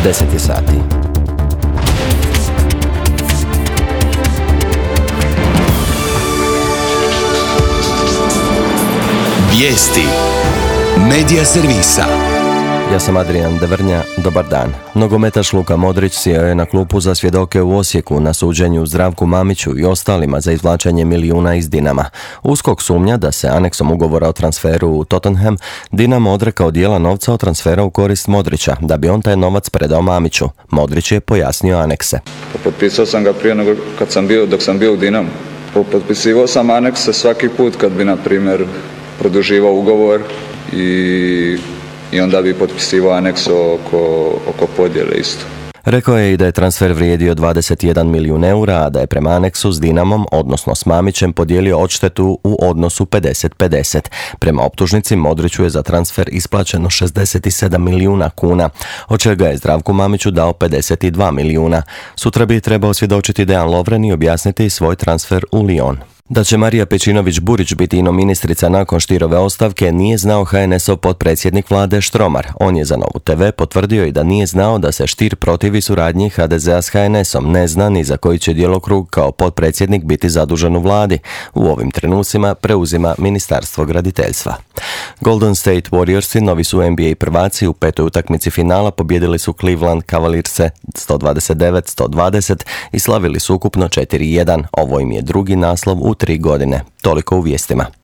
10 je sati. Vijesti Medija servisa. Ja sam Adrian Devrnja, dobar dan. Nogometaš Luka Modrić sjeo je na klupu za svjedoke u Osijeku na suđenju Zdravku Mamiću i ostalima za izvlačenje milijuna iz Dinama. USKOK sumnja da se aneksom ugovora o transferu u Tottenham Dinamo odrekao dijela novca od transfera u korist Modrića, da bi on taj novac predao Mamiću. Modrić je pojasnio anekse. Potpisao sam ga prije nego dok sam bio u Dinamu. Potpisivao sam anekse svaki put kad bi, na primjer, produživao ugovor i onda bi potpisivao aneks oko podjele isto. Rekao je i da je transfer vrijedio 21 milijun eura, a da je prema aneksu s Dinamom, odnosno s Mamićem, podijelio odštetu u odnosu 50-50. Prema optužnici Modriću je za transfer isplaćeno 67 milijuna kuna, od čega je Zdravku Mamiću dao 52 milijuna. Sutra bi trebao svjedočiti Dejan Lovren i objasniti svoj transfer u Lyon. Da će Marija Pejčinović-Burić biti ministrica nakon Stierove ostavke nije znao HNS-ov potpredsjednik vlade Štromar. On je za Novu TV potvrdio i da nije znao da se Stier protivi suradnji HDZ-a s HNS-om. Ne zna ni za koji će djelokrug kao potpredsjednik biti zadužen u vladi. U ovim trenucima preuzima Ministarstvo graditeljstva. Golden State Warriorsi, novi su NBA prvaci, u petoj utakmici finala pobijedili su Cleveland Cavalierse 129-120 i slavili su ukupno 4-1. Ovo im je drugi naslov u 3 godine. Toliko u vijestima.